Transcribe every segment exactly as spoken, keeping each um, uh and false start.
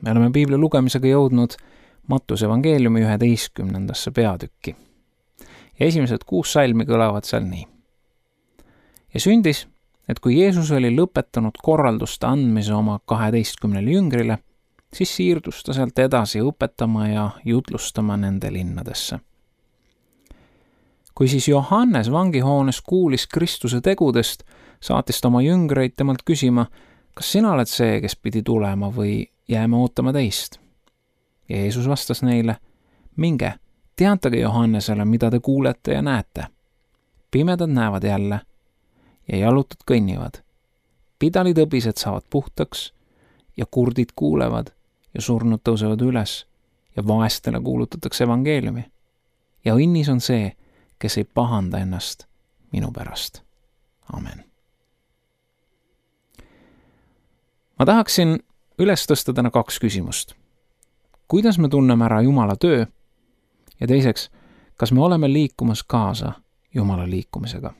Me oleme piibli lugemisega jõudnud Mattuse evangeeliumi üheteistkümnendasse peatükki. Ja esimesed kuus salmi kõlavad seal nii. Ja sündis, et kui Jeesus oli lõpetanud korralduste andmise oma kaheteistkümnele jüngrile, siis siirdus ta sealt edasi õpetama ja jutlustama nende linnadesse. Kui siis Johannes vangihoones kuulis Kristuse tegudest, saatis ta oma jüngreid temalt küsima, kas sina oled see, kes pidi tulema või jääme ootama teist? Ja Jeesus vastas neile, minge, teatage Johannesele, mida te kuulete ja näete. Pimedad näevad jälle ja jalutud kõnnivad. Pidalitõbised saavad puhtaks ja kurdid kuulevad ja surnud tõusevad üles ja vaestele kuulutatakse evangeeliumi. Ja õnnis on see, kes ei pahanda ennast minu pärast. Amen. Ma tahaksin üles tõsta täna kaks küsimust. Kuidas me tunneme ära Jumala töö? Ja teiseks, kas me oleme liikumas kaasa Jumala liikumisega?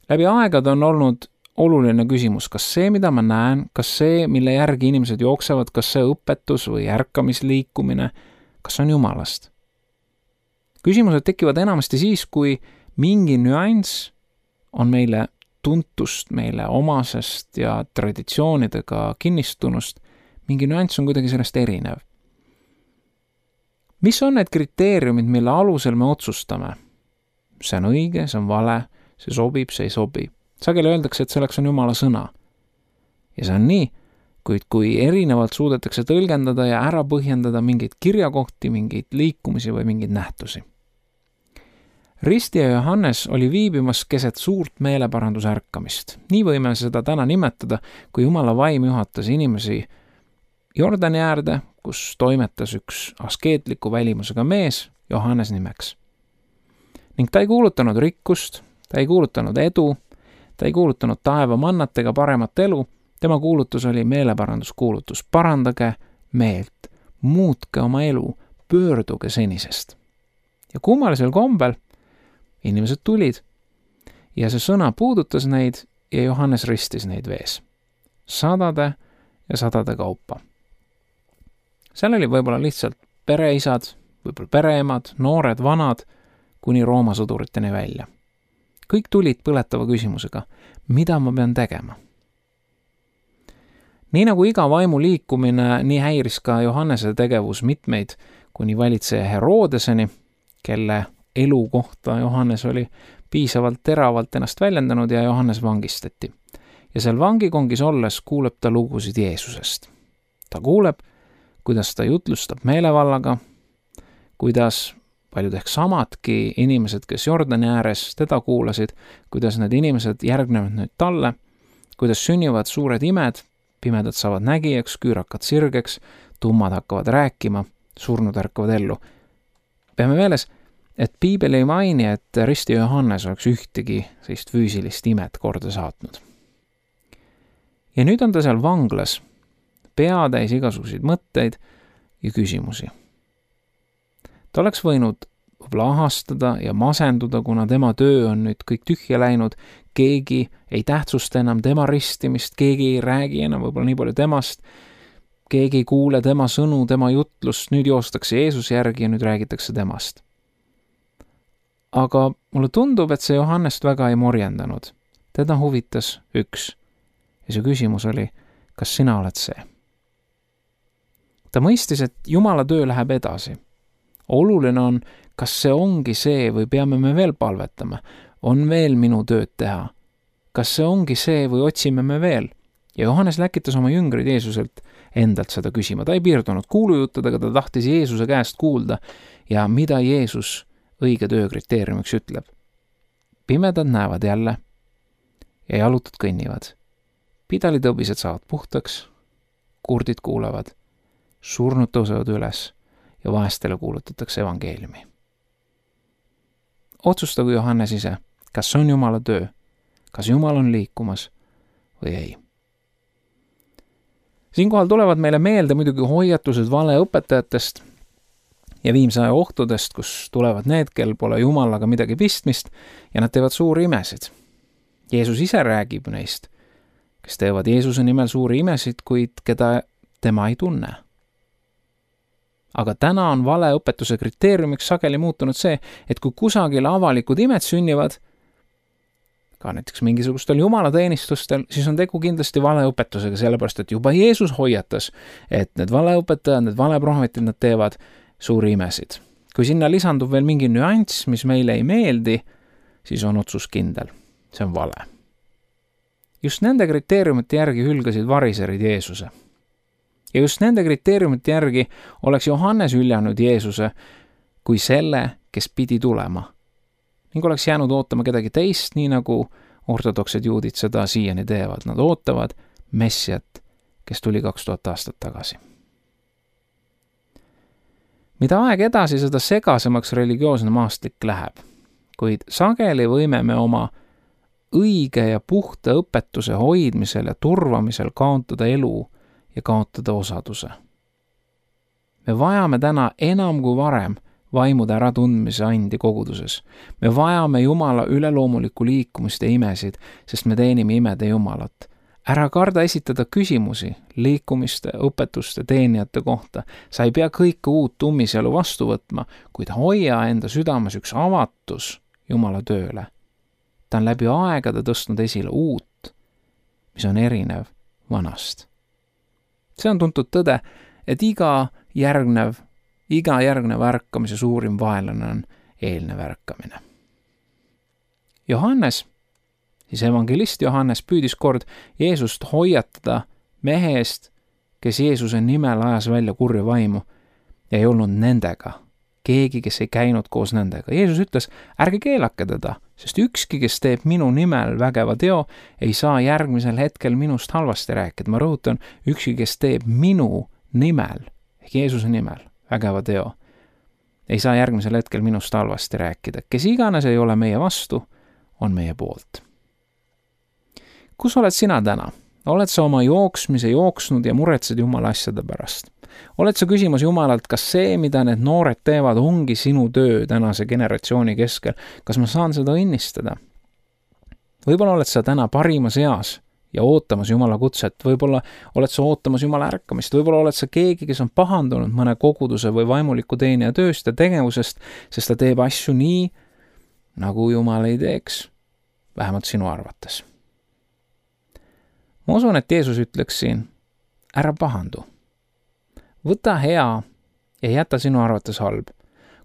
Läbi aegade on olnud oluline küsimus, kas see, mida ma näen, kas see, mille järgi inimesed jooksevad, kas see õpetus või ärkamisliikumine, kas on Jumalast? Küsimused tekivad enamasti siis, kui mingi nüanss on meile tuntust, meile omasest ja traditsioonidega kinnistunust, mingi nüanss on kuidagi sellest erinev. Mis on need kriteeriumid, mille alusel me otsustame? See on õige, see on vale, see sobib, see ei sobi. Sageli öeldakse, et selleks on Jumala sõna. Ja see on nii, kuid kui erinevalt suudetakse tõlgendada ja ära põhjendada mingeid kirjakohti, mingeid liikumisi või mingeid nähtusi. Risti ja Johannes oli viibimas keset suurt meeleparandusärkamist. Nii võime seda täna nimetada, kui Jumala vaim juhatas inimesi Jordani äärde, kus toimetas üks askeetliku välimusega mees, Johannes nimeks. Ning ta ei kuulutanud rikkust, ta ei kuulutanud edu, ta ei kuulutanud taeva mannat ega paremat elu, tema kuulutus oli meeleparanduskuulutus. Parandage meelt, muutke oma elu, pöörduge senisest. Ja kummalisel kombel inimesed tulid ja see sõna puudutas neid ja Johannes ristis neid vees. Sadade ja sadade kaupa. Seal oli võib-olla lihtsalt pereisad, võib-olla pereemad, noored, vanad, kuni Rooma sõduriteni välja. Kõik tulid põletava küsimusega, mida ma pean tegema? Nii nagu iga vaimu liikumine, nii häiris ka Johannese tegevus mitmeid kuni valitseja Herodeseni, kelle elu kohta Johannes oli piisavalt teravalt ennast väljendanud ja Johannes vangistati. Ja seal vangikongis olles kuuleb ta lugusid Jeesusest. Ta kuuleb, kuidas ta jutlustab meelevallaga, kuidas paljud ehk samadki inimesed, kes Jordani ääres teda kuulasid, kuidas need inimesed järgnevad nüüd talle, kuidas sünnivad suured imed, pimedad saavad nägijaks, küürakad sirgeks, tummad hakkavad rääkima, surnud ärkavad ellu. Peame meeles, et piibel ei maini, et Risti Johannes oleks ühtegi sellist füüsilist imet korda saatnud. Ja nüüd on ta seal vanglas, peatäis igasuguseid mõtteid ja küsimusi. Ta oleks võinud võib-olla ahastada ja masenduda, kuna tema töö on nüüd kõik tühja läinud, keegi ei tähtsusta enam tema ristimist, keegi ei räägi enam võib-olla nii palju temast, keegi ei kuule tema sõnu, tema jutlust, nüüd joostakse Jeesuse järgi ja nüüd räägitakse temast. Aga mulle tundub, et see Johannest väga ei morjendanud. Teda huvitas üks. Ja see küsimus oli, kas sina oled see? Ta mõistis, et Jumala töö läheb edasi. Oluline on, kas see ongi see või peame me veel palvetama? On veel minu tööd teha? Kas see ongi see või otsime me veel? Ja Johannes läkitas oma jüngrid Jeesuselt endalt seda küsima. Ta ei piirdunud kuulujuttudega, ta tahtis Jeesuse käest kuulda ja mida Jeesus õige töö kriteeriumiks ütleb. Pimedad näevad jälle ja jalutud kõnnivad. Pidalitõbised saavad puhtaks, kurdid kuulevad, surnud tõusevad üles ja vaestele kuulutatakse evangeeliumi. Otsustagu Johannes ise, kas on Jumala töö, kas Jumal on liikumas või ei. Siinkohal tulevad meile meelde muidugi hoiatused valeõpetajatest ja viimse aja ohtudest, kus tulevad need, kel pole Jumalaga midagi pistmist ja nad teevad suuri imesid. Jeesus ise räägib neist kes teevad Jeesuse nimel suuri imesid, kuid keda tema ei tunne. Aga täna on valeõpetuse kriteeriumiks sageli muutunud see, et kui kusagil avalikud imed sünnivad, ka näiteks mingisugustel jumalateenistustel, siis on tegu kindlasti valeõpetusega, sellepärast et juba Jeesus hoiatas, et need valeõpetajad, need valeprohvetid, nad teevad suuri imesid. Kui sinna lisandub veel mingi nüanss, mis meile ei meeldi, siis on otsus kindel. See on vale. Just nende kriteeriumite järgi hülgasid variserid Jeesuse. Ja just nende kriteeriumite järgi oleks Johannes hüljanud Jeesuse kui selle, kes pidi tulema. Ning oleks jäänud ootama kedagi teist, nii nagu ortodoksed juudid seda siiani teevad. Nad ootavad Messiat, kes tuli kaks tuhat aastat tagasi. Mida aeg edasi, seda segasemaks religioosne maastik läheb. Kuid sageli võime me oma õige ja puhta õpetuse hoidmisel ja turvamisel kaotada elu ja kaotada osaduse. Me vajame täna enam kui varem vaimude äratundmise andi koguduses. Me vajame Jumala üleloomulikku liikumist ja imesid, sest me teenime imede Jumalat. Ära karda esitada küsimusi liikumiste, õpetuste, teenijate kohta. Sa ei pea kõike uut ummisjalu vastu võtma, kuid hoia enda südames üks avatus Jumala tööle. Ta on läbi aegade tõstnud esile uut, mis on erinev vanast. See on tuntud tõde, et iga järgnev, iga järgnev ärkamise suurim vaenlane on eelnev ärkamine. Johannes, siis evangelist Johannes püüdis kord Jeesust hoiatada mehe eest, kes Jeesuse nimel ajas välja kurja vaimu ja ei olnud nendega. Keegi, kes ei käinud koos nendega. Jeesus ütles, ärge keelake teda, sest ükski, kes teeb minu nimel vägeva teo, ei saa järgmisel hetkel minust halvasti rääkida. Ma rõhutan, ükski, kes teeb minu nimel, ehk Jeesuse nimel vägeva teo, ei saa järgmisel hetkel minust halvasti rääkida. Kes iganes ei ole meie vastu, on meie poolt. Kus oled sina täna? Oled sa oma jooksmise jooksnud ja muretsed Jumala asjade pärast? Oled sa küsimas Jumalalt, kas see, mida need noored teevad, ongi sinu töö tänase generatsiooni keskel? Kas ma saan seda õnnistada? Võib-olla oled sa täna parimas eas ja ootamas Jumala kutset. Võib-olla oled sa ootamas Jumala ärkamist. Võib-olla oled sa keegi, kes on pahandunud mõne koguduse või vaimuliku teenija tööst ja tegevusest, sest ta teeb asju nii, nagu Jumal ei teeks, vähemalt sinu arvates. Ma usun, et Jeesus ütleks siin, ära pahandu. Võta hea ja jäta sinu arvates halb.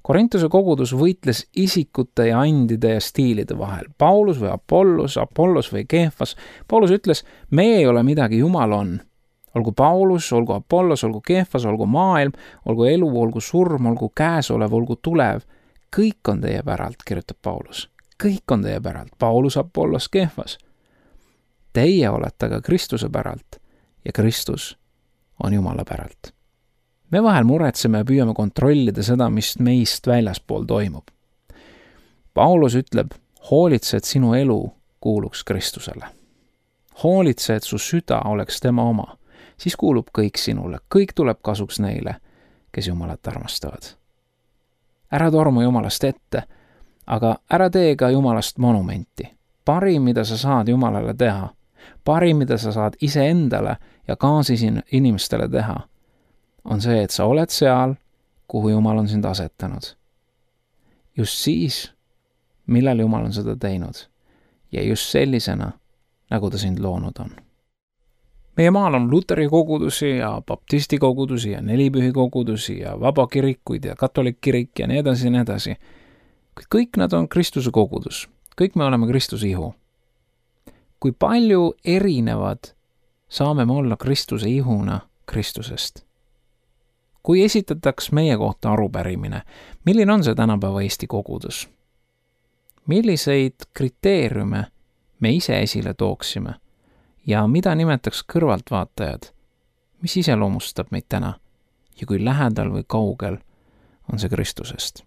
Korintuse kogudus võitles isikute ja andide ja stiilide vahel. Paulus või Apollos, Apollos või Keefas. Paulus ütles, me ei ole midagi, Jumal on. Olgu Paulus, olgu Apollos, olgu Keefas, olgu maailm, olgu elu, olgu surm, olgu käesolev, olgu tulev. Kõik on teie päralt, kirjutab Paulus. Kõik on teie päralt. Paulus, Apollos, Keefas. Teie olete aga Kristuse päralt ja Kristus on Jumala päralt. Me vahel muretseme ja püüame kontrollida seda, mis meist väljaspool toimub. Paulus ütleb, hoolitse, et sinu elu kuuluks Kristusele. Hoolitse, et su süda oleks tema oma. Siis kuulub kõik sinule, kõik tuleb kasuks neile, kes Jumalat armastavad. Ära torma Jumalast ette, aga ära tee ka Jumalast monumenti. Parim, mida sa saad Jumalale teha, parim, mida sa saad iseendale ja kaasisin inimestele teha, on see, et sa oled seal, kuhu Jumal on sind asetanud. Just siis, millal Jumal on seda teinud ja just sellisena, nagu ta sind loonud on. Meie maal on luteri kogudusi ja baptisti kogudusi ja nelipühi kogudusi ja vabakirikuid ja katolik kirik ja nii edasi ja nii edasi. Kõik nad on Kristuse kogudus. Kõik me oleme Kristuse ihu. Kui palju erinevad saame me olla Kristuse ihuna Kristusest? Kui esitataks meie kohta arupärimine, milline on see tänapäeva Eesti kogudus? Milliseid kriteeriume me ise esile tooksime ja mida nimetaks kõrvaltvaatajad, mis iseloomustab meid täna ja kui lähedal või kaugel on see Kristusest?